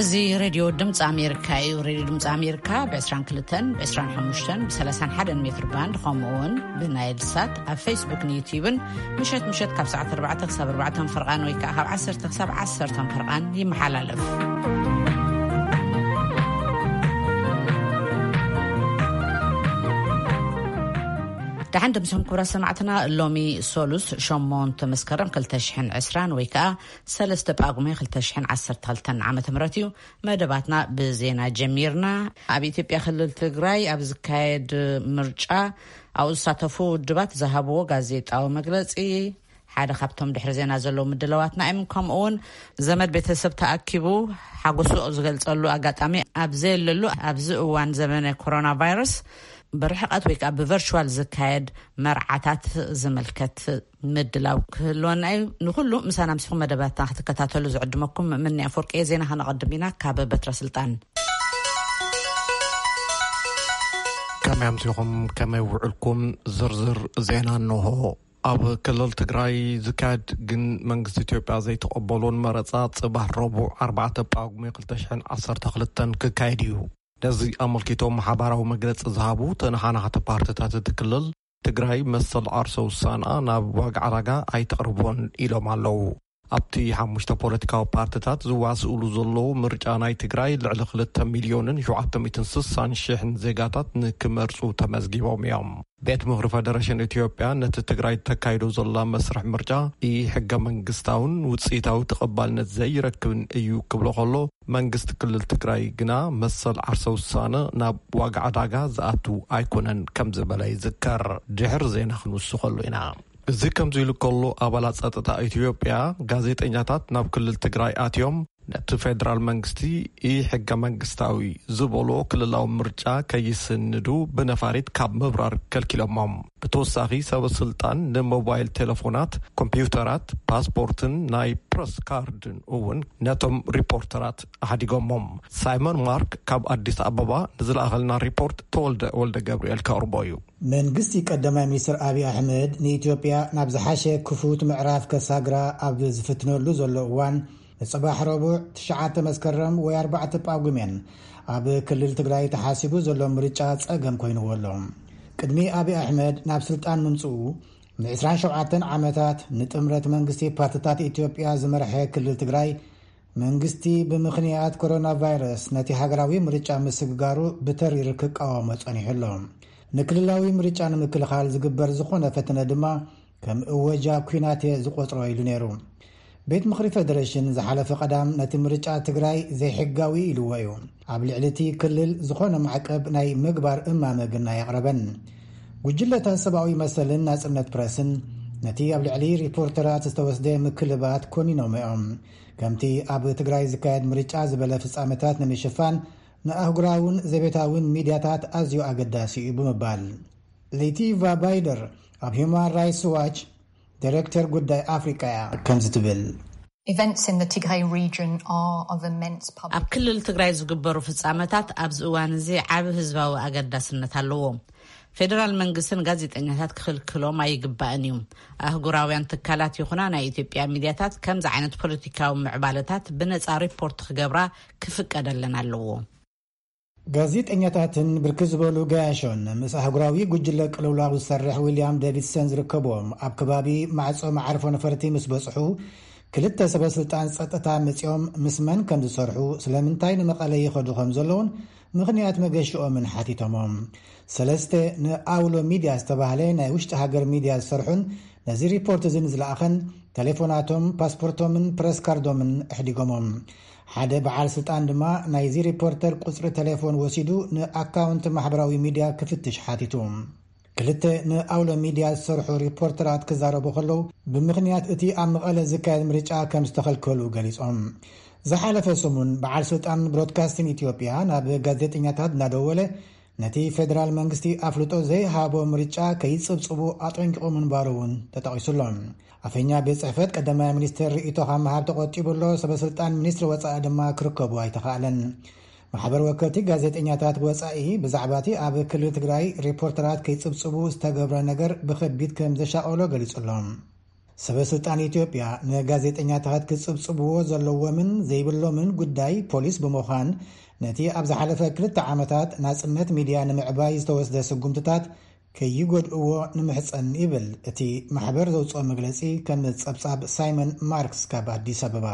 እዚ ሬድዮ ድምፂ ኣሜሪካ እዩ። ሬድዮ ድምፂ ኣሜሪካ ብ22፣ ብ25፣ ብ31 ሜትር ባንድ፣ ከምኡ እውን ብናይል ሳት ኣብ ፌስቡክን ዩቲዩብን ምሸት ምሸት ካብ ሰዓት ኣርባዕተ ክሳብ ኣርባዕተ ፈርቓን ወይ ከዓ ካብ ዓሰርተ ክሳብ ዓሰርተ ፈርቓን ይመሓላለፍ። ደሓን ደምስኹም ክቡራት ሰማዕትና። ሎሚ ሶሉስ ሸሞንተ መስከረም ክልተ ሽሕን ዕስራን ወይ ከዓ ሰለስተ ጳጉሜ ክልተ ሽሕን ዓሰርተ ክልተን ዓመተ ምህረት እዩ። መደባትና ብዜና ጀሚርና። ኣብ ኢትዮጵያ ክልል ትግራይ ኣብ ዝካየድ ምርጫ ኣብኡ ዝሳተፉ ውድባት ዝሃብዎ ጋዜጣዊ መግለጺ፣ ሓደ ካብቶም ድሕሪ ዜና ዘለዉ ምድለዋትና እዮም። ከምኡ እውን ዘመድ ቤተሰብ ተኣኪቡ ሓጎሱ ዝገልጸሉ ኣጋጣሚ ኣብ ዘየለሉ ኣብዚ እዋን ዘመነ ኮሮና ቫይረስ ብርሕቐት ወይ ከዓ ብቨርቹዋል ዝካየድ መርዓታት ዝምልከት ምድላው ክህልወና እዩ። ንኩሉ ምሳና ምስኹም መደባትና ክትከታተሉ ዝዕድመኩም ምኒ ኣፈወርቂ እየ። ዜና ከነቐድም ኢና ካብ በትረ ስልጣን። ከመይ ኣምሲኹም፣ ከመይ ውዕልኩም? ዝርዝር ዜና እንሆ። ኣብ ክልል ትግራይ ዝካየድ ግን መንግስቲ ኢትዮጵያ ዘይተቐበሎን መረፃ ጽባሕ ረቡዕ ኣርባዕተ ጳጉሜ ክልተ ሽሕን ዓሰርተ ክልተን ክካየድ እዩ። ነዚ ኣመልኪቶም ሓባራዊ መግለጺ ዝሃቡ ተነሓናሕቲ ፓርቲታት እቲ ክልል፣ ትግራይ መሰል ዓርሰ ውሳንኣ ናብ ዋጋ ዕዳጋ ኣይተቕርቦን ኢሎም ኣለዉ። ኣብቲ ሓሙሽተ ፖለቲካዊ ፓርቲታት ዝዋስእሉ ዘለዉ ምርጫ ናይ ትግራይ ልዕሊ ክልተ ሚልዮንን ሸውዓተ ሚእትን ስሳን ሽሕን ዜጋታት ንክመርጹ ተመዝጊቦም እዮም። ቤት ምኽሪ ፈደረሽን ኢትዮጵያ ነቲ ትግራይ ተካይዶ ዘላ መስርሕ ምርጫ ኢ ሕገ መንግስታውን ውጽኢታዊ ተቐባልነት ዘይረክብን እዩ ክብሎ ከሎ፣ መንግስቲ ክልል ትግራይ ግና መሰል ዓርሰ ውሳነ ናብ ዋጋ ዕዳጋ ዝኣቱ ኣይኮነን ከም ዝበለ ይዝከር። ድሕሪ ዜና ክንውስኸሉ ኢና። እዚ ከምዚ ኢሉ ከሎ፣ ኣባላት ጸጥታ ኢትዮጵያ ጋዜጠኛታት ናብ ክልል ትግራይ ኣትዮም ነቲ ፌደራል መንግስቲ ኢ ሕገ መንግስታዊ ዝበሎ ክልላዊ ምርጫ ከይስንዱ ብነፋሪት ካብ ምብራር ከልኪሎሞም። ብተወሳኺ፣ ሰበ ስልጣን ንሞባይል ቴሌፎናት፣ ኮምፒውተራት፣ ፓስፖርትን ናይ ፕረስ ካርድን እውን ነቶም ሪፖርተራት ኣሕዲጎሞም። ሳይመን ማርክ ካብ ኣዲስ ኣበባ ንዝለኣኸልና ሪፖርት ተወልደ ወልደ ገብርኤል ከቕርቦ እዩ። መንግስቲ ቀዳማይ ሚኒስትር ኣብይ ኣሕመድ ንኢትዮጵያ ናብ ዝሓሸ ክፉት ምዕራፍ ከሳግራ ኣብ ዝፍትነሉ ዘሎ እዋን፣ ንጽባሕ ረቡዕ ትሽዓተ መስከረም ወይ ኣርባዕተ ጳጉሜን ኣብ ክልል ትግራይ ተሓሲቡ ዘሎ ምርጫ ጸገም ኮይንዎ ኣሎ። ቅድሚ ኣብይ ኣሕመድ ናብ ስልጣን ምምጽኡ፣ ን27 ዓመታት ንጥምረት መንግስቲ ፓርቲታት ኢትዮጵያ ዝመርሐ ክልል ትግራይ፣ መንግስቲ ብምኽንያት ኮሮና ቫይረስ ነቲ ሃገራዊ ምርጫ ምስግጋሩ ብተሪር ክቃወሞ ጸኒሑ ኣሎ። ንክልላዊ ምርጫ ንምክልኻል ዝግበር ዝኾነ ፈተነ ድማ ከም እወጃ ኲናት እየ ዝቖጽሮ ኢሉ ነይሩ። ቤት ምኽሪ ፌደሬሽን ዝሓለፈ ቀዳም ነቲ ምርጫ ትግራይ ዘይሕጋዊ ኢልዎ እዩ። ኣብ ልዕሊ እቲ ክልል ዝኾነ ማዕቀብ ናይ ምግባር እማመ ግን ኣየቕረበን። ጉጅለታት ሰብኣዊ መሰልን ናጽነት ፕረስን ነቲ ኣብ ልዕሊ ሪፖርተራት ዝተወስደ ምክልባት ኮኒኖም እዮም። ከምቲ ኣብ ትግራይ ዝካየድ ምርጫ ዝበለ ፍጻመታት ንምሽፋን ንኣህጉራውን ዘቤታውን ሚድያታት ኣዝዩ ኣገዳሲ እዩ ብምባል፣ ሌቲቫ ባይደር ኣብ ሂውማን ራይትስ ዋች ዳይሬክተር ጉዳይ ኣፍሪቃ እያ። ከምዚ ትብል። Events in the Tigray region are of immense public ኣብ ክልል ትግራይ ዝግበሩ ፍጻመታት ኣብዚ እዋን እዚ ዓቢ ህዝባዊ ኣገዳስነት ኣለዎም። ፌደራል መንግስትን ጋዜጠኛታት ክኽልክሎም ኣይግባእን እዩ። ኣህጉራውያን ትካላት ይኹና ናይ ኢትዮጵያ ሚድያታት ከምዚ ዓይነት ፖለቲካዊ ምዕባለታት ብነጻ ሪፖርት ክገብራ ክፍቀደለን ኣለዎ። ጋዜጠኛታትን ብርክት ዝበሉ ገያሾን ምስ ኣህጉራዊ ጉጅለ ቅልውላው ዝሰርሕ ዊልያም ዴቪድሰን ዝርከብዎም ኣብ ከባቢ ማዕጾ መዓርፎ ነፈርቲ ምስ በጽሑ፣ ክልተ ሰበ ስልጣን ጸጥታ መጺኦም ምስ መን ከም ዝሰርሑ፣ ስለምንታይ ንመቐለ ይኸዱ ከም ዘለውን ምኽንያት መገሽኦምን ሓቲቶሞም። ሰለስተ ንኣውሎ ሚድያ ዝተባህለ ናይ ውሽጢ ሃገር ሚድያ ዝሰርሑን ነዚ ሪፖርት እዚ ንዝለኣኸን፣ ቴሌፎናቶም፣ ፓስፖርቶምን ፕረስ ካርዶምን ኣሕዲጎሞም። ሓደ በዓል ስልጣን ድማ ናይዚ ሪፖርተር ቁጽሪ ቴሌፎን ወሲዱ ንኣካውንት ማሕበራዊ ሚድያ ክፍትሽ ሓቲቱ። ክልተ ንኣውሎ ሚድያ ዝሰርሑ ሪፖርተራት ክዛረቡ ከለዉ፣ ብምኽንያት እቲ ኣብ መቐለ ዝካየድ ምርጫ ከም ዝተኸልከሉ ገሊጾም። ዝሓለፈ ሰሙን በዓል ስልጣን ብሮድካስቲንግ ኢትዮጵያ ናብ ጋዜጠኛታት እናደወለ፣ ነቲ ፌደራል መንግስቲ ኣፍልጦ ዘይሃቦ ምርጫ ከይጽብጽቡ ኣጠንቂቑ ምንባሩ እውን ተጠቒሱ ኣሎ። ኣፈኛ ቤት ጽሕፈት ቀዳማይ ሚኒስትር ርእይቶ ካብ ምሃብ ተቖጢቡ ኣሎ። ሰበ ስልጣን ሚኒስትሪ ወጻኢ ድማ ክርከቡ ኣይተኻእለን። ማሕበር ወከልቲ ጋዜጠኛታት ወጻኢ ብዛዕባ እቲ ኣብ ክልል ትግራይ ሪፖርተራት ከይጽብጽቡ ዝተገብረ ነገር ብኸቢድ ከም ዘሻቐሎ ገሊጹ ኣሎ። ሰበ ስልጣን ኢትዮጵያ ንጋዜጠኛታት ክጽብጽብዎ ዘለዎምን ዘይብሎምን ጉዳይ ፖሊስ ብምዃን፣ ነቲ ኣብ ዝሓለፈ ክልተ ዓመታት ናጽነት ሚድያ ንምዕባይ ዝተወስደ ስጉምትታት ከይጎድእዎ ንምሕጸን ይብል እቲ ማሕበር ዘውጽኦ መግለጺ፣ ከም ጸብጻብ ሳይመን ማርክስ ካብ ኣዲስ ኣበባ።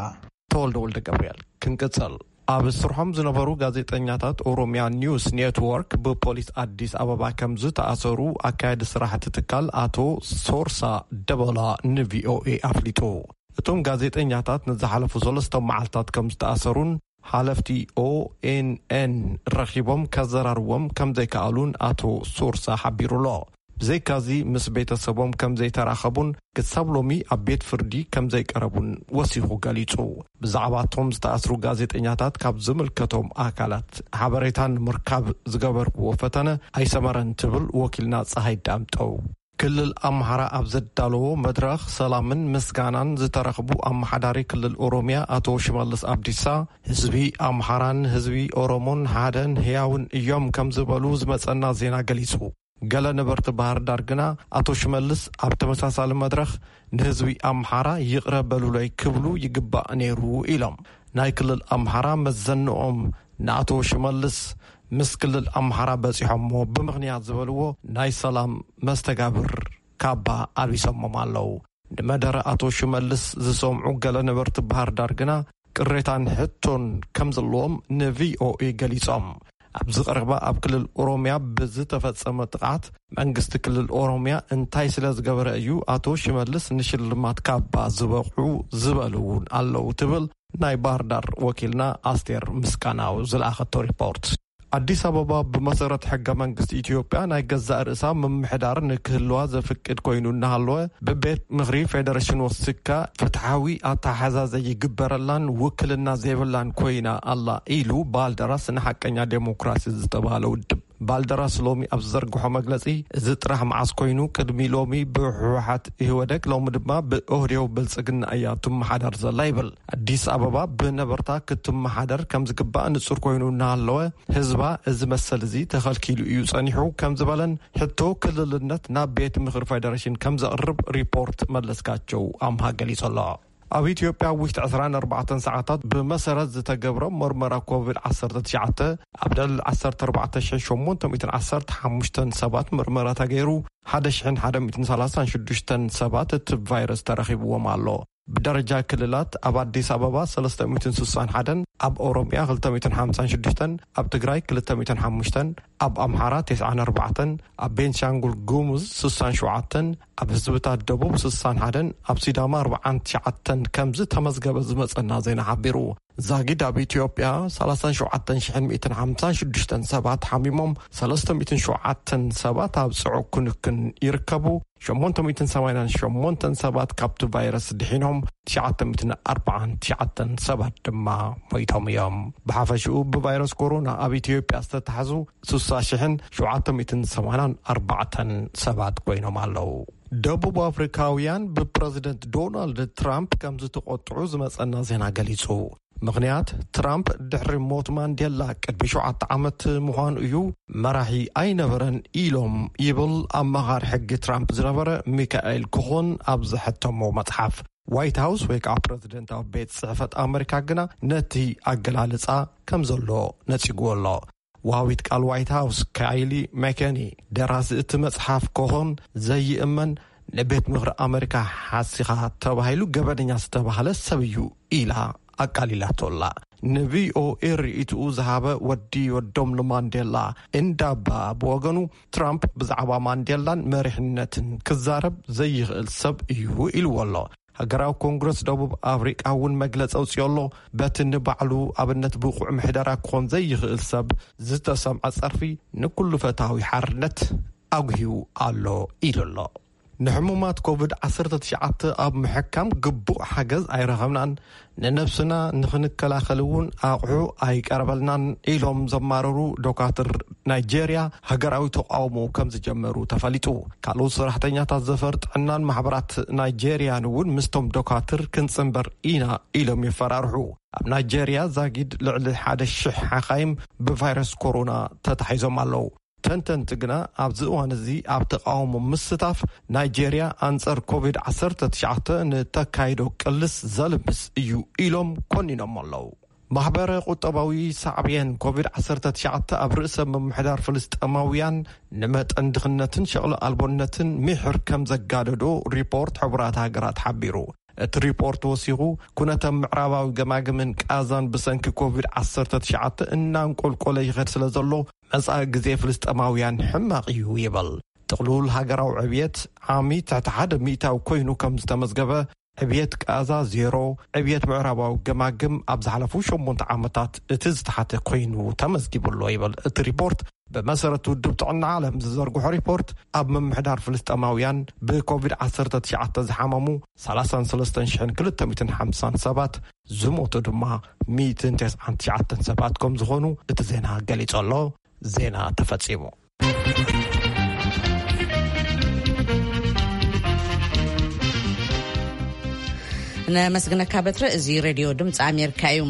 ተወልደ ወልደ ገብርኤል። ክንቅጽል። ኣብ ስርሖም ዝነበሩ ጋዜጠኛታት ኦሮሚያ ኒውስ ኔትወርክ ብፖሊስ ኣዲስ ኣበባ ከም ዝተኣሰሩ ኣካያዲ ስራሕቲ ትካል ኣቶ ሶርሳ ደበላ ንቪኦኤ ኣፍሊጡ። እቶም ጋዜጠኛታት ንዝሓለፉ ሰለስተ መዓልታት ከም ዝተኣሰሩን ሓለፍቲ ኦኤንኤን ረኺቦም ከዘራርዎም ከም ዘይከኣሉን ኣቶ ሶርሳ ሓቢሩ ኣሎ። ብዘይካዚ ምስ ቤተሰቦም ከም ዘይተራኸቡን ክሳብ ሎሚ ኣብ ቤት ፍርዲ ከም ዘይቀረቡን ወሲኹ ገሊጹ። ብዛዕባ እቶም ዝተኣስሩ ጋዜጠኛታት ካብ ዝምልከቶም ኣካላት ሓበሬታ ንምርካብ ዝገበርክዎ ፈተነ ኣይሰመረን ትብል ወኪልና ጸሃይ ዳምጠው። ክልል ኣምሓራ ኣብ ዘዳለዎ መድረኽ ሰላምን ምስጋናን ዝተረኽቡ ኣመሓዳሪ ክልል ኦሮሚያ ኣቶ ሽመልስ ኣብዲሳ፣ ህዝቢ ኣምሓራን ህዝቢ ኦሮሞን ሓደን ህያውን እዮም ከም ዝበሉ ዝመጸና ዜና ገሊጹ። ገለ ነበርቲ ባህር ዳር ግና ኣቶ ሽመልስ ኣብ ተመሳሳሊ መድረኽ ንህዝቢ ኣምሓራ ይቕረ በሉለይ ክብሉ ይግባእ ነይሩ ኢሎም። ናይ ክልል ኣምሓራ መዘንኦም ንኣቶ ሽመልስ ምስ ክልል ኣምሓራ በጺሖሞ ብምኽንያት ዝበልዎ ናይ ሰላም መስተጋብር ካባ ኣልቢሶሞም ኣለዉ። ንመደረ ኣቶ ሽመልስ ዝሰምዑ ገለ ነበርቲ ባህር ዳር ግና ቅሬታን ሕቶን ከም ዘለዎም ንቪኦኤ ገሊጾም። ኣብዚ ቀረባ ኣብ ክልል ኦሮሚያ ብዝተፈጸመ ጥቕዓት መንግስቲ ክልል ኦሮሚያ እንታይ ስለ ዝገበረ እዩ ኣቶ ሽመልስ ንሽልማት ካባ ዝበቕዑ ዝበሉ እውን ኣለዉ ትብል ናይ ባህር ዳር ወኪልና ኣስቴር ምስጋናው ዝለኣኸቶ ሪፖርት። ኣዲስ ኣበባ ብመሰረት ሕገ መንግስቲ ኢትዮጵያ ናይ ገዛእ ርእሳ ምምሕዳር ንክህልዋ ዘፍቅድ ኮይኑ እናሃለወ፣ ብቤት ምኽሪ ፌደሬሽን ወሲካ ፍትሓዊ ኣተሓዛዘ ይግበረላን ውክልና ዘይብላን ኮይና ኣላ ኢሉ ባልደራስ ንሓቀኛ ዴሞክራሲ ዝተባህለ ውድብ። ባልደራስ ሎሚ ኣብ ዝዘርግሖ መግለጺ፣ እዚ ጥራሕ መዓስ ኮይኑ፣ ቅድሚ ሎሚ ብህወሓት ኢህወደግ፣ ሎሚ ድማ ብኦህዴው ብልጽግና እያ ትመሓደር ዘላ ይብል። ኣዲስ ኣበባ ብነበርታ ክትመሓደር ከም ዝግባእ ንጹር ኮይኑ እናሃለወ፣ ህዝባ እዚ መሰል እዚ ተኸልኪሉ እዩ ጸኒሑ ከም ዝበለን ሕቶ ክልልነት ናብ ቤት ምኽሪ ፌደሬሽን ከም ዘቕርብ ሪፖርት መለስካቸው ኣምሃ ገሊጹ ኣሎ። ኣብ ኢትዮጵያ ውሽጢ ዕስራን ኣርባዕተን ሰዓታት ብመሰረት ዝተገብረ መርመራ ኮቪድ ዓሰርተ ትሽዓተ ኣብ ልዕሊ ዓሰርተ ኣርባዕተ ሽሕን ሸሞንተ ሚእትን ዓሰርተ ሓሙሽተን ሰባት መርመራ ተገይሩ፣ ሓደ ሽሕን ሓደ ሚእትን ሰላሳን ሽዱሽተን ሰባት እቲ ቫይረስ ተረኺብዎም ኣሎ። ብደረጃ ክልላት ኣብ ኣዲስ ኣበባ ሰለስተ ሚእትን ስሳን ሓደን፣ ኣብ ኦሮሚያ ክልተ ሚእትን ሓምሳን ሽዱሽተን፣ ኣብ ትግራይ ክልተ ሚእትን ሓሙሽተን፣ ኣብ ኣምሓራ ተስዓን ኣርባዕተን፣ ኣብ ቤንሻንጉል ጉሙዝ ስሳን ሸውዓተን፣ ኣብ ህዝብታት ደቡብ ስሳን ሓደን፣ ኣብ ሲዳማ ኣርባዓን ትሽዓተን ከም ዝተመዝገበ ዝመጸና ዜና ሓቢሩ። ዛጊድ ኣብ ኢትዮጵያ ሰላሳን ሸውዓተን ሽሕን ሚእትን ሓምሳን ሽዱሽተን ሰባት ሓሚሞም፣ ሰለስተ ሚእትን ሸውዓተን ሰባት ኣብ ጽዑቕ ክንክን ይርከቡ። ሸሞንተ ሚእትን ሰማንያን ሸሞንተን ሰባት ካብቲ ቫይረስ ድሒኖም፣ ትሽዓተ ሚእትን ኣርባዓን ትሽዓተን ሰባት ድማ ሞይቶም እዮም። ብሓፈሽኡ ብቫይረስ ኮሮና ኣብ ኢትዮጵያ ዝተታሕዙ ስሳ ሽሕን ሸውዓተ ሚእትን ሰማንያን ኣርባዕተን ሰባት ኮይኖም ኣለዉ። ደቡብ ኣፍሪካውያን ብፕረዚደንት ዶናልድ ትራምፕ ከም ዝተቖጥዑ ዝመጸና ዜና ገሊጹ። ምኽንያት፣ ትራምፕ ድሕሪ ሞት ማንዴላ ቅድሚ ሸውዓተ ዓመት ምዃኑ እዩ፣ መራሒ ኣይነበረን ኢሎም ይብል ኣማኻሪ ሕጊ ትራምፕ ዝነበረ ሚካኤል ኮኾን ኣብ ዘሐተሞ መጽሓፍ። ዋይት ሃውስ ወይ ከዓ ፕረዚደንታዊ ቤት ጽሕፈት ኣመሪካ ግና ነቲ ኣገላልጻ ከም ዘሎ ነጺግዎ ኣሎ። ወሃቢት ቃል ዋይት ሃውስ ካይሊ መከኒ፣ ደራሲ እቲ መጽሓፍ ኮኾን ዘይእመን፣ ንቤት ምኽሪ ኣመሪካ ሓሲኻ ተባሂሉ ገበነኛ ዝተባህለ ሰብ እዩ ኢላ ኣቃሊላቶ ኣላ። ንቪኦኤ ርእይትኡ ዝሃበ ወዲ ወዶም ንማንዴላ እንዳባ ብወገኑ፣ ትራምፕ ብዛዕባ ማንዴላን መሪሕነትን ክዛረብ ዘይኽእል ሰብ እዩ ኢልዎ ኣሎ። ሃገራዊ ኮንግረስ ደቡብ ኣፍሪቃ እውን መግለጺ ኣውጺኦ ኣሎ። በቲ ንባዕሉ ኣብነት ብቑዕ ምሕደራ ክኾን ዘይኽእል ሰብ ዝተሰምዐ ጸርፊ ንኩሉ ፈታዊ ሓርነት ኣጉህዩ ኣሎ ኢሉ ኣሎ። ንሕሙማት ኮቪድ ዓሰርተ ትሽዓተ ኣብ ምሕካም ግቡእ ሓገዝ ኣይረኸብናን፣ ንነብስና ንኽንከላኸል እውን ኣቑሑ ኣይቀረበልናን ኢሎም ዘማረሩ ዶካትር ናይጄርያ፣ ሃገራዊ ተቃውሞ ከም ዝጀመሩ ተፈሊጡ። ካልኦት ሰራሕተኛታት ዘፈር ጥዕናን ማሕበራት ናይጄርያን እውን ምስቶም ዶካትር ክንጽንበር ኢና ኢሎም የፈራርሑ። ኣብ ናይጄርያ ዛጊድ ልዕሊ ሓደ ሽሕ ሓኻይም ብቫይረስ ኮሮና ተታሒዞም ኣለዉ። ተንተንቲ ግና ኣብዚ እዋን እዚ ኣብ ተቃውሞ ምስታፍ ናይጄርያ ኣንጻር ኮቪድ ዓሰርተ ትሽዓተ ንተካይዶ ቅልስ ዘልምስ እዩ ኢሎም ኮኒኖም ኣለዉ። ማሕበረ ቁጠባዊ ሳዕብየን ኮቪድ ዓሰርተ ትሽዓተ ኣብ ርእሰ ምምሕዳር ፍልስጤማውያን ንመጠን ድኽነትን ሸቕሎ ኣልቦነትን ሚሕር ከም ዘጋደዶ ሪፖርት ሕቡራት ሃገራት ሓቢሩ። እቲ ሪፖርት ወሲኹ፣ ኩነተ ምዕራባዊ ገማግምን ቃዛን ብሰንኪ ኮቪድ ዓሰርተ ትሽዓተ እናንቆልቆለ ይኸድ ስለ ዘሎ፣ መጻኢ ግዜ ፍልስጤማውያን ሕማቕ እዩ ይብል። ጥቕሉል ሃገራዊ ዕብየት ዓሚ ትሕቲ ሓደ ሚእታዊ ኮይኑ ከም ዝተመዝገበ፣ ዕብየት ቃዛ ዜሮ፣ ዕብየት ምዕራባዊ ገማግም ኣብ ዝሓለፉ ሸሞንተ ዓመታት እቲ ዝተሓተ ኮይኑ ተመዝጊቡ ኣሎ ይብል እቲ ሪፖርት። ብመሰረት ውድብ ጥዕና ዓለም ዝዘርግሖ ሪፖርት፣ ኣብ ምምሕዳር ፍልስጤማውያን ብኮቪድ ዓሰርተ ትሽዓተ ዝሓመሙ ሰላሳን ሰለስተን ሽሕን ክልተ ሚእትን ሓምሳን ሰባት፣ ዝሞቱ ድማ ሚእትን ተስዓን ትሽዓተን ሰባት ከም ዝኾኑ እቲ ዜና ገሊጹ ኣሎ። ዜና ተፈጺሙ። ነመስግነካ በትረ። እዚ ሬድዮ ድምፂ ኣሜሪካ እዩ።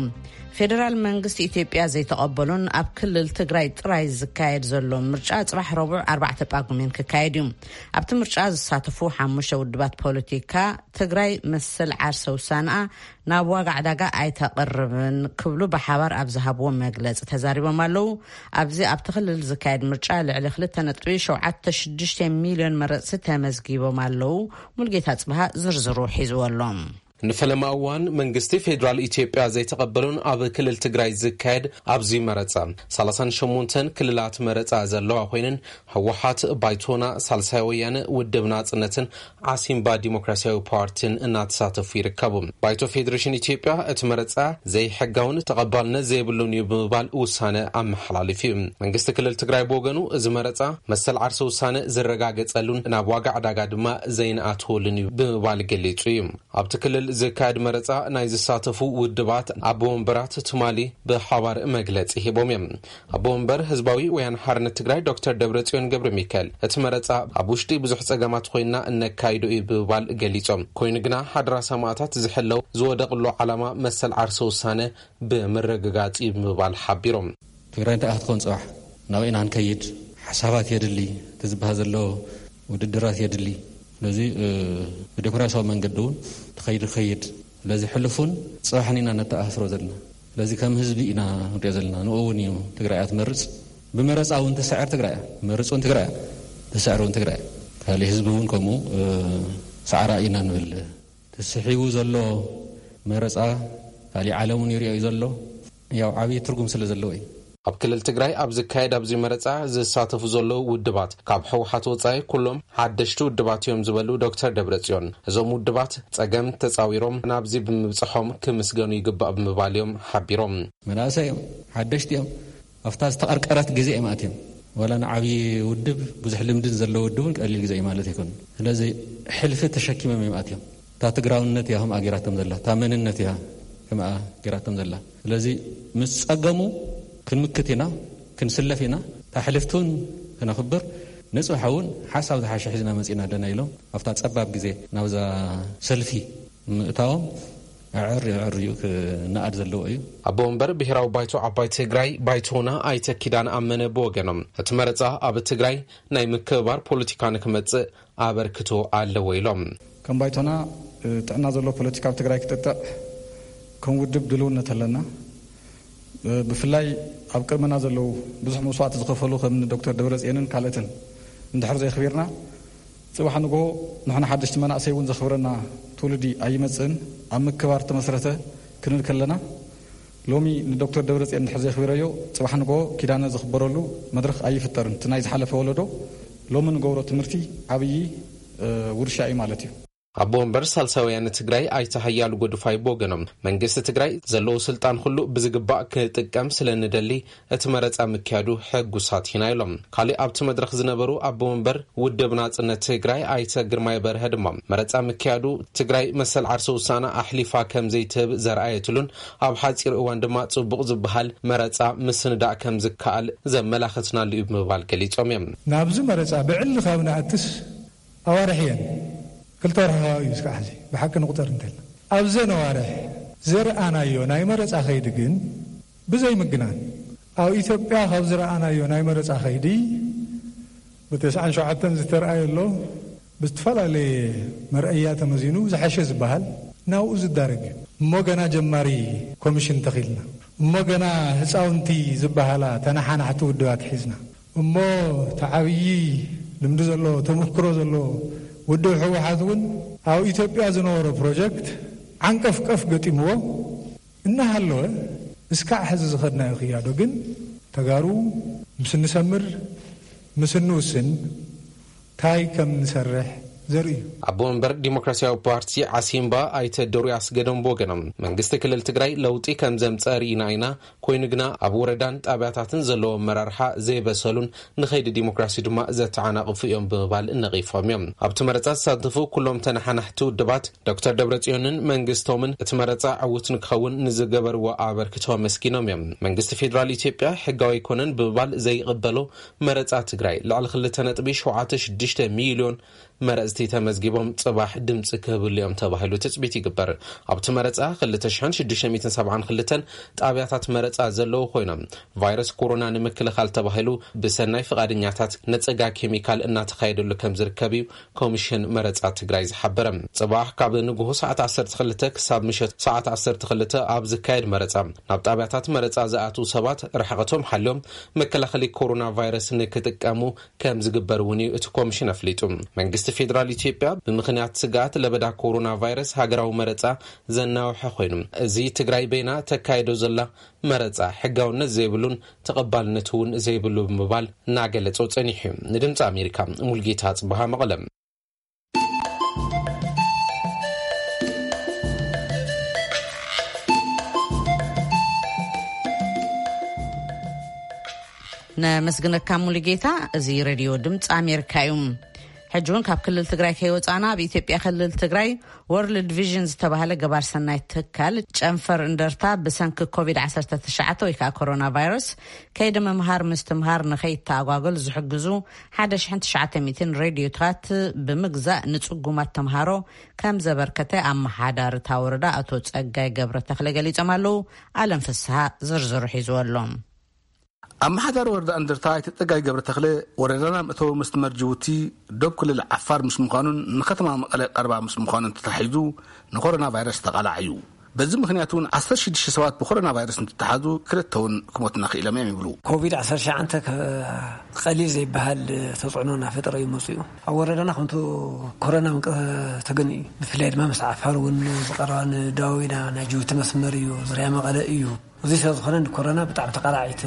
ፌደራል መንግስቲ ኢትዮጵያ ዘይተቐበሎን ኣብ ክልል ትግራይ ጥራይ ዝካየድ ዘሎ ምርጫ ጽባሕ ረቡዕ ኣርባዕተ ጳጉሜን ክካየድ እዩ። ኣብቲ ምርጫ ዝሳተፉ ሓሙሽተ ውድባት ፖለቲካ ትግራይ መሰል ዓርሰ ውሳንኣ ናብ ዋጋ ዕዳጋ ኣይተቕርብን ክብሉ ብሓባር ኣብ ዝሃብዎ መግለጺ ተዛሪቦም ኣለዉ። ኣብዚ ኣብቲ ክልል ዝካየድ ምርጫ ልዕሊ ክልተ ነጥቢ ሸውዓተ ሽዱሽተ ሚልዮን መረጽቲ ተመዝጊቦም ኣለዉ። ሙልጌታ ጽብሃ ዝርዝሩ ሒዝዎ ኣሎ። ንፈለማ እዋን መንግስቲ ፌዴራል ኢትዮጵያ ዘይተቐበሉን ኣብ ክልል ትግራይ ዝካየድ ኣብዚ መረጻ ሰላሳን ሸሞንተን ክልላት መረጻ ዘለዋ ኮይነን፣ ህወሓት፣ ባይቶና፣ ሳልሳይ ወያነ፣ ውድብ ናጽነትን ዓሲምባ ዲሞክራሲያዊ ፓርቲን እናተሳተፉ ይርከቡ። ባይቶ ፌዴሬሽን ኢትዮጵያ እቲ መረጻ ዘይሕጋውን ተቐባልነት ዘይብሉን እዩ ብምባል ውሳነ ኣመሓላሊፉ እዩ። መንግስቲ ክልል ትግራይ ብወገኑ፣ እዚ መረጻ መሰል ዓርሰ ውሳነ ዝረጋገጸሉን ናብ ዋጋ ዕዳጋ ድማ ዘይንኣትወሉን እዩ ብምባል ገሊጹ እዩ። ኣብቲ ክልል ዝካየድ መረጻ ናይ ዝሳተፉ ውድባት ኣቦ ወንበራት ትማሊ ብሓባር መግለጺ ሂቦም እዮም። ኣቦ ወንበር ህዝባዊ ወያነ ሓርነት ትግራይ ዶክተር ደብረጽዮን ገብረ ሚካኤል፣ እቲ መረጻ ኣብ ውሽጢ ብዙሕ ጸገማት ኮይና እነካይዶ እዩ ብምባል ገሊጾም። ኮይኑ ግና ሓደራ ሰማእታት ዝሕለው ዝወደቕሉ ዓላማ መሰል ዓርሰ ውሳነ ብምርግጋጽ እዩ ብምባል ሓቢሮም። ትግራይ እንታይ ክትኮን ጽባሕ? ናበይ ኢና ክንከይድ? ሓሳባት የድሊ፣ እቲ ዝበሃል ዘሎ ውድድራት የድሊ። ስለዚ፣ እ፣ ብዲሞክራሲያዊ መንገዲ እውን ተኸይዱ ክኸይድ። ስለዚ ሕሉፉን ጽባሕን ኢና ነተኣሳስሮ ዘለና። ስለዚ ከም ህዝቢ ኢና ንሪኦ ዘለና። ንኡ እውን እዩ ትግራይ እያ ትመርጽ። ብመረጻ እውን ትስዕር ትግራይ እያ። መርጽ እውን ትግራይ እያ። ትስዕር እውን ትግራይ እያ። ካልእ ህዝቢ እውን ከምኡ፣ እ፣ ሰዓራ ኢና ንብል። ተስሒቡ ዘሎ መረጻ ካልእ ዓለም እውን ይሪኦ እዩ ዘሎ። ያው ዓብዪ ትርጉም ስለ ዘለዎ እዩ። ኣብ ክልል ትግራይ ኣብ ዝካየድ ኣብዚ መረጻ ዝሳተፉ ዘለዉ ውድባት ካብ ህወሓት ወጻኢ ኩሎም ሓደሽቲ ውድባት እዮም ዝበሉ ዶክተር ደብረጽዮን፣ እዞም ውድባት ጸገም ተጻዊሮም ናብዚ ብምብጽሖም ክምስገኑ ይግባእ ብምባል እዮም ሓቢሮም። መናእሰይ እዮም፣ ሓደሽቲ እዮም። ኣብታ ዝተቐርቀረት ግዜ እዮም ኣትዮም። ዋላ ንዓብዪ ውድብ ብዙሕ ልምድን ዘለዎ ውድብ እውን ቀሊል ግዜ እዩ ማለት ኣይኮኑን። ስለዚ ሕልፊ ተሸኪሞም እዮም ኣትዮም። እታ ትግራውነት እያ ከምኣ ጌራቶም ዘላ፣ እታ መንነት እያ ከምኣ ጌራቶም ዘላ። ስለዚ ምስ ጸገሙ ክንምክት ኢና፣ ክንስለፍ ኢና። እታ ሕልፍቲ እውን ክነኽብር፣ ንጽባሕ እውን ሓሳብ ዝሓሸ ሒዝና መጺና ኣለና ኢሎም ኣብታ ጸባብ ግዜ ናብዛ ሰልፊ ምእታዎም ኣዕር ኣዕር እዩ ክነኣድ ዘለዎ እዩ። ኣቦ ወንበር ብሄራዊ ባይቶ ዓባይ ትግራይ ባይቶና ኣይተ ኪዳነ ኣመነ ብወገኖም፣ እቲ መረጻ ኣብ ትግራይ ናይ ምክብባር ፖለቲካ ንክመጽእ ኣበርክቶ ኣለዎ ኢሎም። ከም ባይቶና፣ እ፣ ጥዕና ዘለዎ ፖለቲካ ኣብ ትግራይ ክጥጥዕ ከም ውድብ ድልውነት ኣለና። እ፣ ብፍላይ ኣብ ቅድመና ዘለዉ ብዙሕ መስዋእቲ ዝኸፈሉ ከም ዶክተር ደብረጽዮንን ካልኦትን እንድሕር ዘየኽቢርና፣ ጽባሕ ንግሆ ንሕና ሓደሽቲ መናእሰይ እውን ዘኽብረና ትውልዲ ኣይመጽእን። ኣብ ምክባር ተመስረተ ክንብል ከለና፣ ሎሚ ንዶክተር ደብረጽዮን እንድሕር ዘየኽቢረዮ፣ ጽባሕ ንግሆ ኪዳነ ዝኽበረሉ መድረኽ ኣይፍጠርን። እቲ ናይ ዝሓለፈ ወለዶ ሎሚ ንገብሮ ትምህርቲ ዓብዪ፣ እ፣ ውርሻ እዩ ማለት እዩ። ኣቦ ወንበር ሳልሳይ ወያነ ትግራይ ኣይተ ሃያሉ ጎድፋይ ብወገኖም፣ መንግስቲ ትግራይ ዘለዎ ስልጣን ኩሉ ብዝግባእ ክጥቀም ስለ ንደሊ እቲ መረጻ ምክያዱ ሕጉሳት ኢና ኢሎም። ካልእ ኣብቲ መድረኽ ዝነበሩ ኣቦ ወንበር ውድብ ናጽነት ትግራይ ኣይተ ግርማይ በርሀ ድማ፣ መረጻ ምክያዱ ትግራይ መሰል ዓርሰ ውሳና ኣሕሊፋ ከም ዘይትህብ ዘርኣየትሉን ኣብ ሓጺር እዋን ድማ ጽቡቕ ዝበሃል መረጻ ምስንዳእ ከም ዝከኣል ዘመላኸትናሉ እዩ ብምባል ገሊጾም እዮም። ናብዚ መረጻ ብዕሊ ካብ ንኣትስ ኣዋርሕ እየን። ክልተ ወርሒ ከባቢ እዩ እስካዕ ሕዚ ብሓቂ ንቁጠር እንተልና። ኣብዘን ኣዋርሕ ዘርኣናዮ ናይ መረጻ ከይዲ ግን ብዘይ ምግናን ኣብ ኢትዮጵያ ካብ ዝረኣናዮ ናይ መረጻ ከይዲ ብተስዓን ሸውዓተን ዝተረኣየ ኣሎ። ብዝተፈላለየ መርኣያ ተመዚኑ ዝሓሸ ዝበሃል ናብኡ ዝዳረግ እዩ። እሞ ገና ጀማሪ ኮሚሽን ተኺልና፣ እሞ ገና ህፃውንቲ ዝበሃላ ተነሓናሕቲ ውድባት ሒዝና፣ እሞ እቲ ዓብዪ ልምዲ ዘሎ፣ ተመክሮ ዘሎ ውድብ ህወሓት እውን ኣብ ኢትዮጵያ ዝነበሮ ፕሮጀክት ዓንቀፍቀፍ ገጢምዎ እናሃለወ፣ እስካዕ ሕዚ ዝኸድናዮ ክያዶ ግን ተጋሩ ምስ እንሰምር፣ ምስ እንውስን፣ እንታይ ከም ንሰርሕ ዘርኢ እዩ። ኣቦ መንበር ዲሞክራሲያዊ ፓርቲ ዓሲምባ ኣይተ ዶርያስ ገደም ብወገኖም፣ መንግስቲ ክልል ትግራይ ለውጢ ከም ዘምፀ ርኢና ኢና፣ ኮይኑ ግና ኣብ ወረዳን ጣብያታትን ዘለዎ ኣመራርሓ ዘይበሰሉን ንኸይዲ ዲሞክራሲ ድማ ዘተዓናቕፉ እዮም ብምባል ነቒፎም እዮም። ኣብቲ መረፃ ዝሳተፉ ኩሎም ተነሓናሕቲ ውድባት ዶክተር ደብረጽዮንን መንግስቶምን እቲ መረፃ ዕዉት ንክኸውን ንዝገበርዎ ኣበርክቶ ኣመስጊኖም እዮም። መንግስቲ ፌዴራል ኢትዮጵያ ሕጋዊ ኣይኮነን ብምባል ዘይቕበሎ መረፃ ትግራይ ልዕሊ ክልተ ነጥቢ ሸውዓተ ሽዱሽተ ሚልዮን መረፅቲ ተመዝጊቦም ፅባሕ ድምፂ ክህብሉ እዮም ተባሂሉ ትፅቢት ይግበር። ኣብቲ መረፃ ክልተ ሽሕን ሽዱሽተ ሚእትን ሰብዓን ክልተን ጣብያታት መረፃ ዘለዉ ኮይኖም፣ ቫይረስ ኮሮና ንምክልኻል ተባሂሉ ብሰናይ ፍቓደኛታት ነፀጋ ኬሚካል እናተኻየደሉ ከም ዝርከብ እዩ ኮሚሽን መረፃ ትግራይ ዝሓበረ። ፅባሕ ካብ ንግሆ ሰዓት ዓሰርተ ክልተ ክሳብ ምሸት ሰዓት ዓሰርተ ክልተ ኣብ ዝካየድ መረፃ፣ ናብ ጣብያታት መረፃ ዝኣትዉ ሰባት ርሕቐቶም ሓልዮም መከላኸሊ ኮሮና ቫይረስ ንክጥቀሙ ከም ዝግበር እውን እዩ እቲ ኮሚሽን ኣፍሊጡ። መንግስቲ ፌዴራል ኢትዮጵያ ብምኽንያት ስግኣት ለበዳ ኮሮና ቫይረስ ሃገራዊ መረፃ ዘናውሐ ኮይኑ፣ እዚ ትግራይ በይና ተካይዶ ዘላ መረፃ ሕጋውነት ዘይብሉን ተቐባልነት እውን ዘይብሉ ብምባል እናገለጾ ጸኒሑ እዩ። ንድምፂ ኣሜሪካ ሙልጌታ ጽበሃ መቐለ። ነመስግነካ ሙሉጌታ። እዚ ሬድዮ ድምፂ ኣሜሪካ እዩ። ሕጂ እውን ካብ ክልል ትግራይ ከይወፃና፣ ኣብ ኢትዮጵያ ክልል ትግራይ ወርልድ ቪዥን ዝተባህለ ገባር ሰናይ ትካል ጨንፈር እንደርታ ብሰንኪ ኮቪድ ዓሰርተ ትሽዓተ ወይ ከዓ ኮሮና ቫይረስ ከይዲ ምምሃር ምስትምሃር ንኸይተኣጓጎል ዝሕግዙ ሓደ ሽሕን ትሽዓተ ሚእትን ሬድዮታት ብምግዛእ ንፅጉማት ተምሃሮ ከም ዘበርከተ ኣመሓዳሪ እታ ወረዳ ኣቶ ፀጋይ ገብረ ተኽለ ገሊፆም ኣለዉ። ኣለም ፍስሃ ዝርዝሩ ሒዝዎ ኣሎ። ኣመሓዳሪ ወረዳ እንደርታ ኣይተ ፀጋይ ገብረ ተኽለ፣ ወረዳና መእተዊ መስመር ጅቡቲ ዶብ ክልል ዓፋር ምስ ምዃኑን ንከተማ መቐለ ቀረባ ምስ ምዃኑን ተታሒዙ ንኮሮና ቫይረስ ተቓላዕ እዩ። በዚ ምኽንያት እውን ዓሰርተ ሽዱሽተ ሰባት ብኮሮና ቫይረስ እንትተሓዙ፣ ክልተ እውን ክሞትና ክኢሎም እዮም ይብሉ። ኮቪድ ዓሰርተ ትሽዓተ ከ-፣ ቀሊል ዘይበሃል ተፅዕኖ እናፈጠረ እዩ መፅኡ። ኣብ ወረዳና ከምቲ ኮሮና ምንቀ-፣ ተገኑ እዩ። ብፍላይ ድማ ምስ ዓፋር እውን ዝቐረባ ንደቡብ ኢና፣ ናይ ጅቡቲ መስመር እዩ፣ ዙርያ መቐለ እዩ። እዚ ስለ ዝኾነ ንኮሮና ብጣዕሚ ተቓላዒት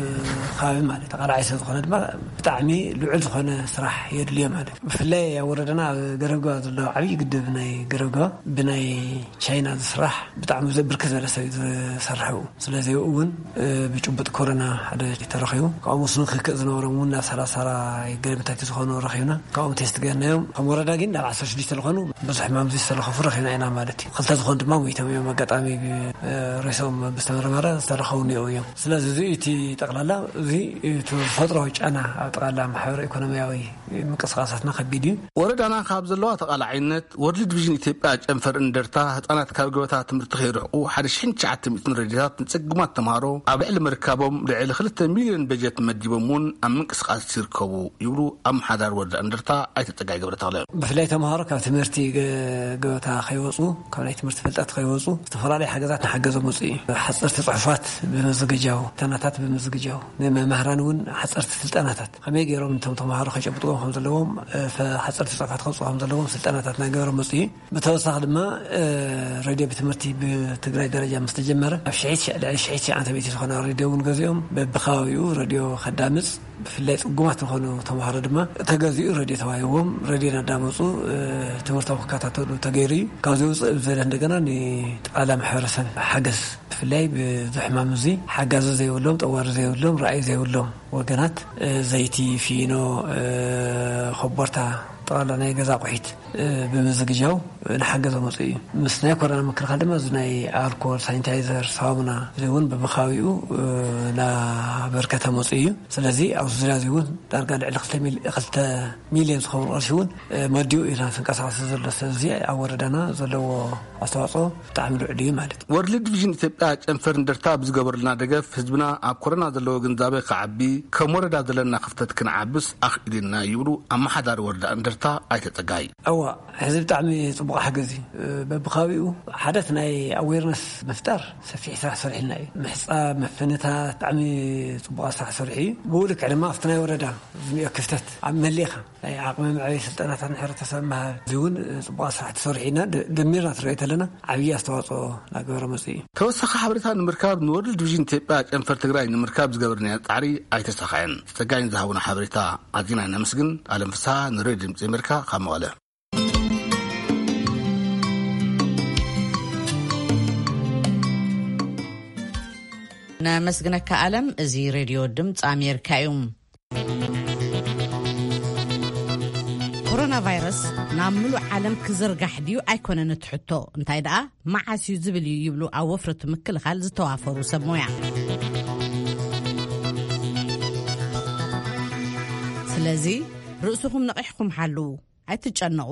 ከባቢ ማለት ተቓላዒ ስለ ዝኾነ ድማ ብጣዕሚ ልዑል ዝኾነ ስራሕ የድልዮ ማለት እዩ። ብፍላይ ኣብ ወረዳና ኣብ ገረብገባ ዘሎ ዓብዪ ግድብ ናይ ገረብገባ ብናይ ቻይና ዝስራሕ ብጣዕሚ ዘ-፣ ብርክት ዝበለ ሰብ እዩ ዝሰርሐው። ስለዚ እውን፣ እ፣ ብጭቡጥ ኮሮና ሓደ ተረኺቡ። ካብኡ ምስ ንክክእ ዝነበሮም እውን ናብ ሰላሳ ገለመታቲ ዝኾኑ ረኺብና። ካብኦም ቴስት ገርናዮም። ከም ወረዳ ግን ናብ ዓሰርተ ሽዱሽተ ዝኾኑ ብዙሕ ሕማም ዝተለኸፉ ረኺብና ኢና ማለት እዩ። ክልተ ዝኾኑ ድማ ሞይቶም እዮም። ኣጋጣሚ ብ-፣ እ፣ ሬሶም ብዝተመርመረ ዝተረኸቡ እኒኦ እዮም። ስለዚ እዚ እቲ ጠቕላላ፣ እዚ እቲ ተፈጥሮ ጫና ኣብ ጠቕላላ ማሕበረ ኢኮኖሚያዊ ምንቅስቃሳትና ከቢድ እዩ። ወረዳና ካብ ዘለዋ ተቓላዓይነት፣ ወርልድ ቪዥን ኢትዮጵያ ጨንፈር እንደርታ ህፃናት ካብ ገበታ ትምህርቲ ከይርሕቁ ሓደ ሽሕን ትሽዓተ ሚእትን ረድዮታት ንፅጉማት ተምሃሮ ኣብ ልዕሊ ምርካቦም ልዕሊ ክልተ ሚልዮን በጀት መዲቦም እውን ኣብ ምንቅስቃስ ይርከቡ ይብሉ ኣመሓዳሪ ወረዳ እንደርታ ኣይተ ፀጋይ ገብረ ተኽለ። ብፍላይ ተምሃሮ ካብ ትምህርቲ ገ-፣ ገበታ ከይወፁ፣ ካብ ናይ ትምህርቲ ፍልጠት ከይወፁ ዝተፈላለዩ ሓገዛት ንሓገዞም መፁ እዩ። ሓፀርቲ ፅሑፋት ብምዝግጃው፣ ፈተናታት ብምዝግጃው፣ ንመምህራን እውን ሓፀርቲ ስልጠናታት ከመይ ገይሮም ነቶም ተምሃሮ ከጨብጥዎም ከም ዘለዎም፣ እ፣ ፈ-፣ ሓፀርቲ ፅሑፋት ከውፅኡ ከም ዘለዎም ስልጠናታት ናይ ገይሮም መፁ እዩ። ብተወሳኺ ድማ፣ እ፣ ሬድዮ ቤት ትምህርቲ ብትግራይ ደረጃ ምስ ተጀመረ፣ ኣብ ሽሒት ሸ-፣ ልዕሊ ሽሒት ሸዓተ ሚእቲ ዝኾና ሬድዮ እውን ገዚኦም በብከባቢኡ ሬድዮ ከዳምፅ፣ ብፍላይ ፅጉማት ዝኾኑ ተምሃሮ ድማ ተገዚኡ ሬድዮ ተዋሂብዎም፣ ሬድዮ እናዳመፁ፣ እ፣ ትምህርቶም ክከታተሉ ተገይሩ እዩ። ካብዚ ውፅእ ብዝበለ እንደገና ንጠቕላላ ማሕበረሰብ ሓገዝ፣ ብፍላይ ብዚ ሕማም እዚ ሓጋዚ ዘይብሎም፣ ጠዋሪ ዘይብሎም፣ ረኣይ ዘይብሎም ወገናት፣ እ፣ ዘይቲ፣ ፊኖ፣ እ፣ ኮቦርታ፣ ጠቕላላ ናይ ገዛ ኣቑሒት ብምዝግጃው ንሓገዘ መፁ እዩ። ምስ ናይ ኮሮና ምክልኻል ድማ እዚ ናይ ኣልኮል፣ ሳኒታይዘር፣ ሳሙና እዚ እውን ብብኻቢኡ ናበርከተ መፁ እዩ። ስለዚ ኣብዚ ዙርያ እዚ እውን ዳርጋ ልዕሊ ክልተ ሚልዮን ዝኸውን ቅርሺ እውን መዲኡ እዩ ዝንቀሳቐስ ዘሎ። ስለዚ ኣብ ወረዳና ዘለዎ ኣስተዋፅኦ ብጣዕሚ ልዑል እዩ ማለት እዩ። ወርልድ ቪዥን ኢትዮጵያ ጨንፈር እንደርታ ብዝገበሩልና ደገፍ ህዝብና ኣብ ኮሮና ዘለዎ ግንዛቤ ክዓቢ፣ ከም ወረዳ ዘለና ክፍተት ክንዓብስ ኣኽኢሉና ይብሉ ኣመሓዳሪ ወረዳ እንደርታ ኣይተ ጸጋይ። እዋ፣ ሕዚ ብጣዕሚ ጽቡቕ ሓገዝ እዩ። በብከባቢኡ ሓደት ናይ ኣዌርነስ ምፍጣር ሰፊሕ ስራሕ ሰሪሕና እዩ። ምሕጻብ፣ ምፍንታት ብጣዕሚ ጽቡቕ ስራሕ ሰሪሑ እዩ። ብኡ ልክዕ ድማ ኣብቲ ናይ ወረዳ ዝኒኦ ክፍተት ኣብ መሊእኻ ናይ ዓቕሚ መዕበይ ስልጠናታት ንሕብረተሰብ ምሃብ፣ እዚ እውን ጽቡቕ ስራሕ ተሰሪሑ ኢና። ደ-፣ ደሚርና ትሪኦ ተለና ዓብዪ ኣስተዋፅኦ እናገበረ መፅኡ እዩ። ተወሳኺ ሓበሬታ ንምርካብ ንወርልድ ቪዥን ኢትዮጵያ ጨንፈር ትግራይ ንምርካብ ዝገበርናዮ ጻዕሪ ኣይተሳኸዐን። ጸጋይን ዝሃቡና ሓበሬታ ኣዚና ነመስግን። ኣለም ፍስሓ ንሬድዮ ድምፂ ኣሜሪካ ካብ መቐለ። ነመስግነካ ኣለም። እዚ ሬድዮ ድምፂ ኣሜሪካ እዩ። ኮሮና ቫይረስ ናብ ምሉእ ዓለም ክዝርጋሕ ድዩ ኣይኮነን እቲ ሕቶ፣ እንታይ ደኣ መዓስ እዩ ዝብል እዩ ይብሉ ኣብ ወፍሪ እቲ ምክልኻል ዝተዋፈሩ ሰብ ሞያ። ስለዚ ርእስኹም ነቒሕኩም ሓልዉ፣ ኣይትጨነቑ፣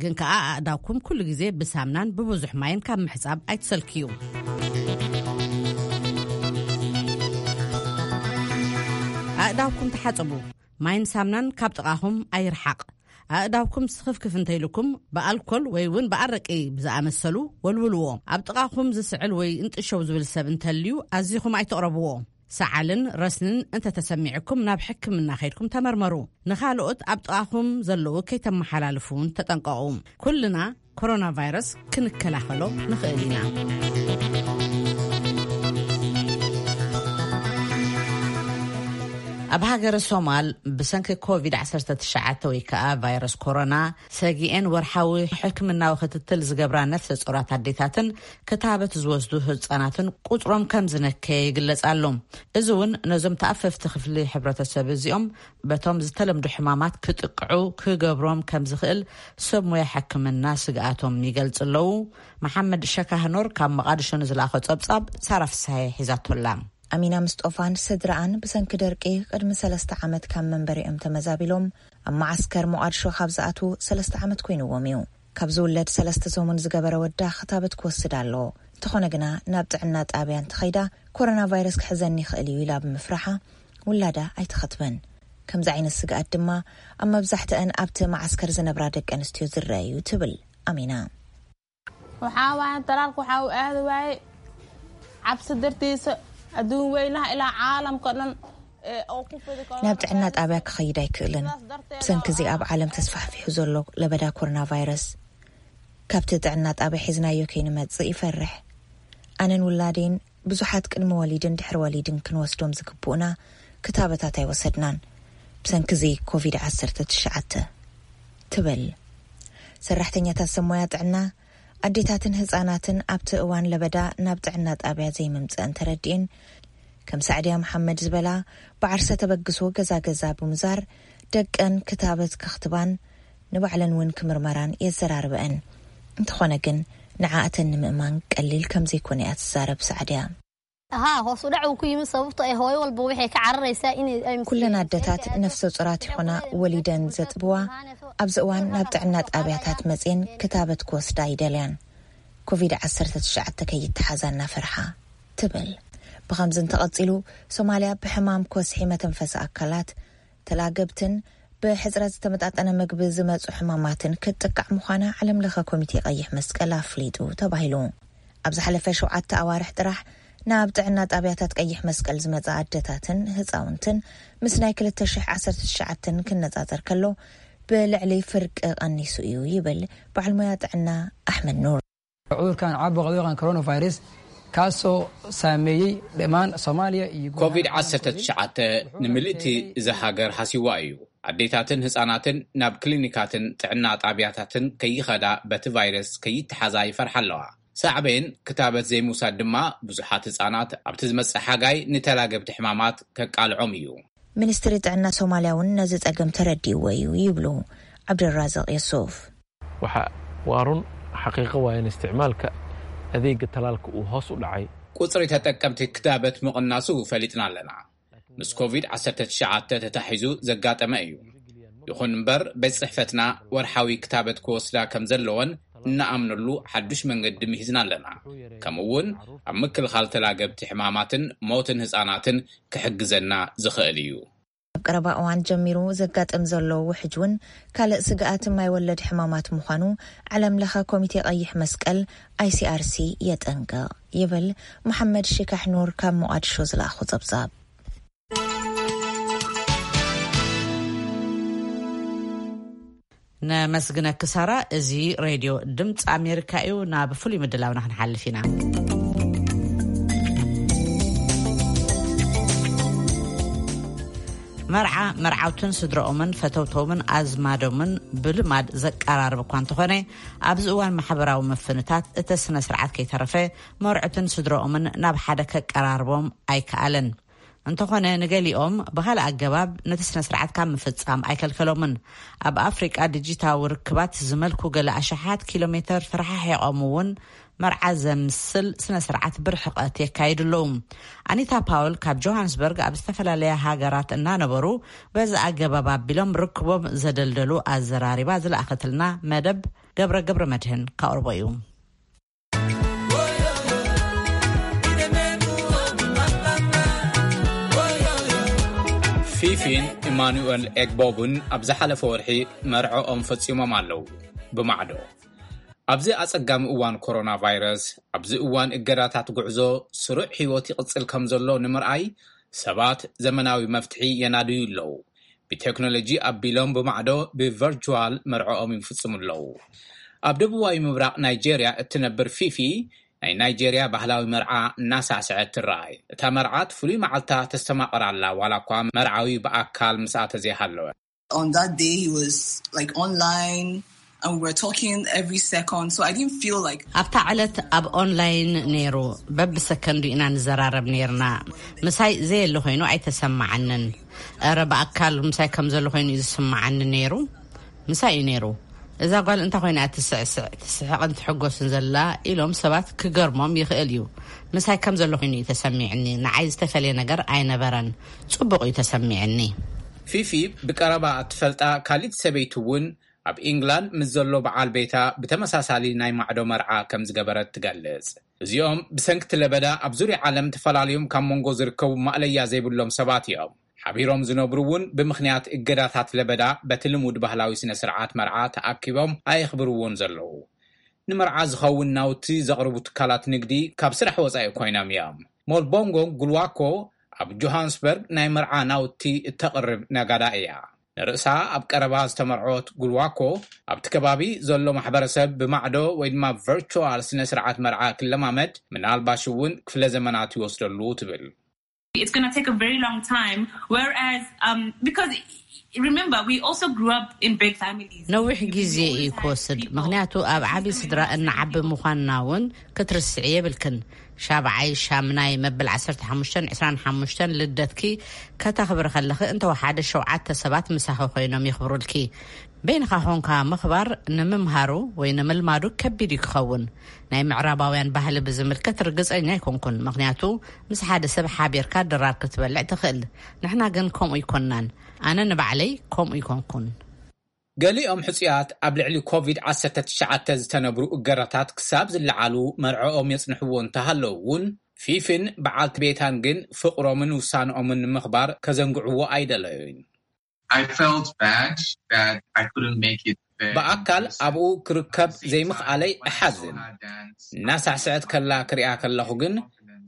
ግን ከኣ ኣእዳውኩም ኩሉ ግዜ ብሳምናን ብብዙሕ ማይን ካብ ምሕጻብ ኣይትሰልክዩ። ኣእዳውኩም ተሓጸቡ። ማይን ሳምናን ካብ ጥቓኹም ኣይርሓቕ። ኣእዳውኩም ስኽፍክፍ እንተኢልኩም ብኣልኮል ወይ እውን ብኣረቂ ብዝኣመሰሉ ወልውልዎ። ኣብ ጥቓኹም ዝስዕል ወይ እንጥሸው ዝብል ሰብ እንተልዩ ኣዚኹም ኣይትቕረብዎ። ሰዓልን ረስንን እንተተሰሚዕኩም ናብ ሕክምና ከይድኩም ተመርመሩ። ንኻልኦት ኣብ ጥቓኹም ዘለዉ ከይተመሓላልፉ እውን ተጠንቀቑ። ኩልና ኮሮና ቫይረስ ክንከላኸሎ ንኽእል ኢና። ኣብ ሃገረ ሶማል ብሰንኪ ኮቪድ ዓሰርተ ትሽዓተ ወይ ከዓ ቫይረስ ኮሮና ሰጊኤን ወርሓዊ ሕክምናዊ ክትትል ዝገብራ ነፍሰ ጾራት ኣዴታትን ክታበት ዝወስዱ ህፃናትን ቁፅሮም ከም ዝነከየ ይግለጽ ኣሎ። እዚ እውን ነዞም ተኣፈፍቲ ክፍሊ ሕብረተሰብ እዚኦም በቶም ዝተለምዱ ሕማማት ክጥቅዑ ክገብሮም ከም ዝኽእል ሰብ ሞያ ሕክምና ስግኣቶም ይገልጽ ኣለዉ። መሓመድ ሸካህኖር ካብ መቓድሾ ንዝለኣኾ ጸብጻብ ሳራ ፍስሃየ ሒዛቶላ። ኣሚና ምስጦፋን ስድራኣን ብሰንኪ ደርቂ ቅድሚ ሰለስተ ዓመት ካብ መንበሪኦም ተመዛቢሎም ኣብ መዓስከር ሞቓድሾ ካብ ዝኣትዉ ሰለስተ ዓመት ኮይንዎም እዩ። ካብ ዝውለድ ሰለስተ ሰሙን ዝገበረ ወዳ ክታበት ክወስድ ኣለዎ። እንተኾነ ግና ናብ ጥዕና ጣብያ እንተኸይዳ ኮሮና ቫይረስ ክሕዘኒ ይኽእል እዩ ኢላ ብምፍራሓ ውላዳ ኣይተኸትበን። ከምዚ ዓይነት ስግኣት ድማ ኣብ መብዛሕትአን ኣብቲ መዓስከር ዝነብራ ደቂ ኣንስትዮ ዝረአ እዩ ትብል ኣሚና። Waxaa waaye talaalku waxa uu aadi waayey cabsi dartiisa. Adduun weynaha ilaa caalamka dhan, ee, oo ku fidi karo ናብ ጥዕና ጣብያ ክኸይድ ኣይክእልን። ብሰንኪ እዚ ኣብ ዓለም ተስፋሕፊሑ ዘሎ ለበዳ ኮሮና ቫይረስ ካብቲ ጥዕና ጣብያ ሒዝናዮ ከይንመጽእ ይፈርሕ። ኣነን ውላዴን ብዙሓት ቅድሚ ወሊድን ድሕሪ ወሊድን ክንወስዶም ዝግብኡና ክታበታት ኣይወሰድናን። ብሰንኪ እዚ ኮቪድ ዓሰርተ ትሽዓተ ትብል። ሰራሕተኛታት ሰብ ሞያ ጥዕና ኣዴታትን ህፃናትን ኣብቲ እዋን ለበዳ ናብ ጥዕና ጣብያ ዘይምምፅአን ተረዲኤን፣ ከም ሳዕድያ መሓመድ ዝበላ ብዓርሰ ተበግሶ ገዛ ገዛ ብምዛር ደቀን ክታበት ከኽትባን ንባዕለን እውን ክምርመራን የዘራርበአን። እንተኾነ ግን ንዓእተን ንምእማን ቀሊል ከም ዘይኮነ እያ ትዛረብ ሳዕድያ። Haa, hoos u dhac uu ku yimid sababtoo ah hooyo walba waxay ka cararaysaa inay ay ኩለን ኣደታት ነፍሰ ጹራት ይኾና ወሊደን ዘጥብዋ ኣብዚ እዋን ናብ ጥዕና ጣብያታት መጽየን ክታበት ክወስዳ ይደልያን ኮቪድ ዓሰርተ ትሽዓተ ከይተሓዛ እናፈርሓ ትብል። ብኸምዚ እንተቐጺሉ ሶማልያ ብሕማም ኮስሒ መተንፈሲ ኣካላት ተላገብትን ብሕጽረት ዝተመጣጠነ ምግቢ ዝመጹ ሕማማትን ክትጥቃዕ ምዃና ዓለም ለኸ ኮሚቴ ቀይሕ መስቀል ኣፍሊጡ ተባሂሉ። ኣብ ዝሓለፈ ሸውዓተ ኣዋርሕ ጥራሕ ናብ ጥዕና ጣብያታት ቀይሕ መስቀል ዝመጻ ኣደታትን ህጻውንትን ምስ ናይ ክልተ ሽሕ ዓሰርተ ትሽዓተ ክነጻጸር ከሎ ብልዕሊ ፍርቂ ቀኒሱ እዩ ይብል በዓል ሞያ ጥዕና ኣሕመድ ኑር። Cudurkan caabuqa loo yaqaan coronavirus kaasoo saameeyey dhammaan Soomaaliya iyo ኮቪድ ዓሰርተ ትሽዓተ ንምልእቲ እዛ ሃገር ሃሲዋ እዩ። ኣዴታትን ህፃናትን ናብ ክሊኒካትን ጥዕና ጣብያታትን ከይኸዳ በቲ ቫይረስ ከይተሓዛ ይፈርሓ ኣለዋ። ሳዕቤን ክታበት ዘይምውሳድ ድማ ብዙሓት ህፃናት ኣብቲ ዝመፅእ ሓጋይ ንተላገብቲ ሕማማት ከቃልዖም እዩ። ሚኒስትሪ ጥዕና ሶማልያ እውን ነዚ ጸገም ተረዲእዎ እዩ ይብሉ ዓብደራዘቕ የሱፍ። Waxa waa run, xaqiiqo waa in isticmaalka adeega talaalka uu hoos u dhacay. ቁፅሪ ተጠቀምቲ ክታበት ምቕናሱ ፈሊጥና ኣለና። ምስ ኮቪድ ዓሰርተ ትሽዓተ ተታሒዙ ዘጋጠመ እዩ። ይኹን እምበር፣ ቤት ጽሕፈትና ወርሓዊ ክታበት ክወስዳ ከም ዘለወን እናኣምነሉ ሓዱሽ መንገዲ ምሂዝና ኣለና። ከምኡ እውን ኣብ ምክልኻል ተላገብቲ ሕማማትን ሞትን ህጻናትን ክሕግዘና ዝኽእል እዩ። ኣብ ቀረባ እዋን ጀሚሩ ዘጋጥም ዘሎ ውሕጅ እውን ካልእ ስግኣት ማይ ወለድ ሕማማት ምዃኑ ዓለም ለኸ ኮሚቴ ቀይሕ መስቀል፣ ኣይሲኣርሲ፣ የጠንቅቕ ይብል መሓመድ ሽካሕ ኑር ካብ ሞቓድሾ ዝለኣኹ ጸብጻብ። ነመስግነኪ ሳራ። እዚ ሬድዮ ድምፂ ኣሜሪካ እዩ። ናብ ፍሉይ ምድላውና ክንሓልፍ ኢና። መርዓ መርዓውትን ስድረኦምን ፈተውቶምን ኣዝማዶምን ብልማድ ዘቀራርብ እኳ እንተኾነ፣ ኣብዚ እዋን ማሕበራዊ ምፍንታት እቲ ስነ ስርዓት ከይተረፈ መርዑትን ስድረኦምን ናብ ሓደ ከቀራርቦም ኣይከኣለን። እንተኾነ፣ ንገሊኦም ብኻልእ ኣገባብ ነቲ ስነ ስርዓት ካብ ምፍጻም ኣይከልከሎምን። ኣብ ኣፍሪቃ ዲጂታዊ ርክባት ዝመልኩ ገለ ኣሽሓት ኪሎ ሜተር ተረሓሒቖም እውን መርዓ ዘምስል ስነ ስርዓት ብርሕቐት የካይዱ ኣለዉ። ኣኒታ ፓውል ካብ ጆሃንስበርግ ኣብ ዝተፈላለያ ሃገራት እናነበሩ በዚ ኣገባብ ኣቢሎም ርክቦም ዘደልደሉ ኣዘራሪባ ዝለኣኸትልና መደብ ገብረ ገብረ መድህን ካቕርቦ እዩ። ፊፊን ኢማኑኤል ኤግቦብን ኣብ ዝሓለፈ ወርሒ መርዕኦም ፈጺሞም ኣለዉ። ብማዕዶ ኣብዚ ኣጸጋሚ እዋን ኮሮና ቫይረስ፣ ኣብዚ እዋን እገዳታት ጉዕዞ፣ ስሩዕ ህይወት ይቕጽል ከም ዘሎ ንምርኣይ ሰባት ዘመናዊ መፍትሒ የናድዩ ኣለዉ። ብቴክኖሎጂ ኣቢሎም ብማዕዶ ብቨርቹዋል መርዕኦም ይፍጽሙ ኣለዉ። ኣብ ደቡባዊ ምብራቕ ናይጄርያ እትነብር ፊፊ ናይ ናይጄርያ ባህላዊ መርዓ እናሳዕስዐት ትረኣይ። እታ መርዓት ፍሉይ መዓልታ ተስተማቕር ኣላ፣ ዋላ እኳ መርዓዊ ብኣካል ምስኣ ተዘይሃለወ። On that day, he was like online and we were talking every second, so I didn't feel like ኣብታ ዕለት ኣብ ኦንላይን ነይሩ። በብሰከንዱ ኢና ንዘራረብ ነይርና። ምሳይ ዘየለ ኮይኑ ኣይተሰማዓንን። እረ ብኣካል ምሳይ ከም ዘሎ ኮይኑ እዩ ዝስማዓኒ ነይሩ። ምሳይ እዩ ነይሩ። እዛ ጓል እንታይ ኮይና እያ ትስዕስዕ፣ ትስሕቕን ትሕጎስን ዘላ ኢሎም ሰባት ክገርሞም ይኽእል እዩ። ምሳይ ከም ዘሎ ኮይኑ እዩ ተሰሚዕኒ። ንዓይ ዝተፈለየ ነገር ኣይነበረን። ጽቡቕ እዩ ተሰሚዕኒ። ፊፊ ብቀረባ እትፈልጣ ካሊት ሰበይቲ እውን ኣብ ኢንግላንድ ምስ ዘሎ በዓል ቤታ ብተመሳሳሊ ናይ ማዕዶ መርዓ ከም ዝገበረት ትገልጽ። እዚኦም ብሰንክቲ ለበዳ ኣብ ዙርያ ዓለም ተፈላለዮም ካብ መንጎ ዝርከቡ ማእለያ ዘይብሎም ሰባት እዮም። ሓቢሮም ዝነብሩ እውን ብምኽንያት እገዳታት ለበዳ በቲ ልሙድ ባህላዊ ስነ ስርዓት መርዓ ተኣኪቦም ኣየኽብርዎን ዘለዉ። ንመርዓ ዝኸውን ናውቲ ዘቕርቡ ትካላት ንግዲ ካብ ስራሕ ወጻኢ ኮይኖም እዮም። ሞልቦንጎ ጉልዋኮ ኣብ ጆሃንስበርግ ናይ መርዓ ናውቲ እተቕርብ ነጋዳ እያ። ንርእሳ ኣብ ቀረባ ዝተመርዖት ጉልዋኮ ኣብቲ ከባቢ ዘሎ ማሕበረሰብ ብማዕዶ ወይ ድማ ቨርቹዋል ስነ ስርዓት መርዓ ክለማመድ ምናልባሽ እውን ክፍለ ዘመናት ይወስደሉ ትብል። It's going to take a very long time. Whereas, um, because remember, we also grew up in big families. ነዊሕ ግዜ እዩ ክወስድ፣ ምኽንያቱ ኣብ ዓቢ ስድራ እናዓቢ ምዃንና እውን ክትርስዒ የብልክን። ሻብዓይ፣ ሻምናይ፣ መበል ዓሰርተ ሓሙሽተን ዕስራን ሓሙሽተን ልደትኪ ከተኽብሪ ከለኺ እንተወሓደ ሸውዓተ ሰባት ምሳኺ ኮይኖም የኽብሩልኪ። በይንኻ ኾንካ ምኽባር ንምምሃሩ ወይ ንምልማዱ ከቢድ እዩ ክኸውን። ናይ ምዕራባውያን ባህሊ ብዝምልከት ርግጸኛ ኣይኮንኩን፣ ምኽንያቱ ምስ ሓደ ሰብ ሓቢርካ ድራር ክትበልዕ ትኽእል። ንሕና ግን ከምኡ ኣይኮንናን። ኣነ ንባዕለይ ከምኡ ኣይኮንኩን። ገሊኦም ሕጹያት ኣብ ልዕሊ ኮቪድ ዓሰርተ ትሽዓተ ዝተነብሩ እገዳታት ክሳብ ዝለዓሉ መርዕኦም የጽንሕዎ እንተሃለዉ እውን፣ ፊፊን በዓልቲ ቤታን ግን ፍቕሮምን ውሳንኦምን ንምኽባር ከዘንግዕዎ ኣይደለዩን። I felt bad that I couldn't make it there. ብኣካል ኣብኡ ክርከብ ዘይምኽኣለይ እሓዝን። እናሳዕስዐት ከላ ክሪኣ ከለኹ ግን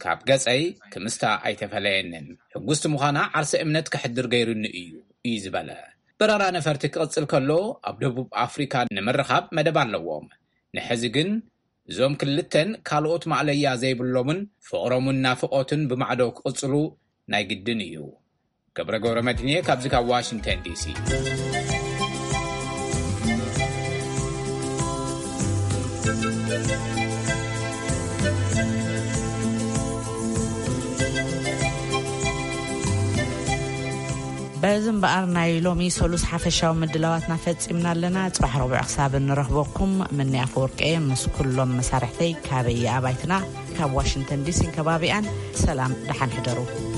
ካብ ገጸይ ክምስታ ኣይተፈለየንን። ሕጉስቲ ምዃና ዓርሰ እምነት ከሕድር ገይሩኒ እዩ፣ እዩ ዝበለ። በረራ ነፈርቲ ክቕጽል ከሎ ኣብ ደቡብ ኣፍሪካ ንምርኻብ መደብ ኣለዎም። ንሕዚ ግን እዞም ክልተን ካልኦት ማእለያ ዘይብሎምን ፍቕሮምን ናፍቖትን ብማዕዶ ክቕጽሉ ናይ ግድን እዩ። ገብረ ገብረ መድህንየ ካብዚ ካብ ዋሽንግተን ዲሲ። በዚ እምበኣር ናይ ሎሚ ሰሉስ ሓፈሻዊ ምድላዋትና ፈጺምና ኣለና። ጽባሕ ረቡዕ ክሳብ እንረኽበኩም ምንያ ኣፈወርቂ ምስ ኩሎም መሳርሕተይ ካበይ ኣባይትና ካብ ዋሽንግተን ዲሲን ከባቢኣን ሰላም ደሓን ሕደሩ።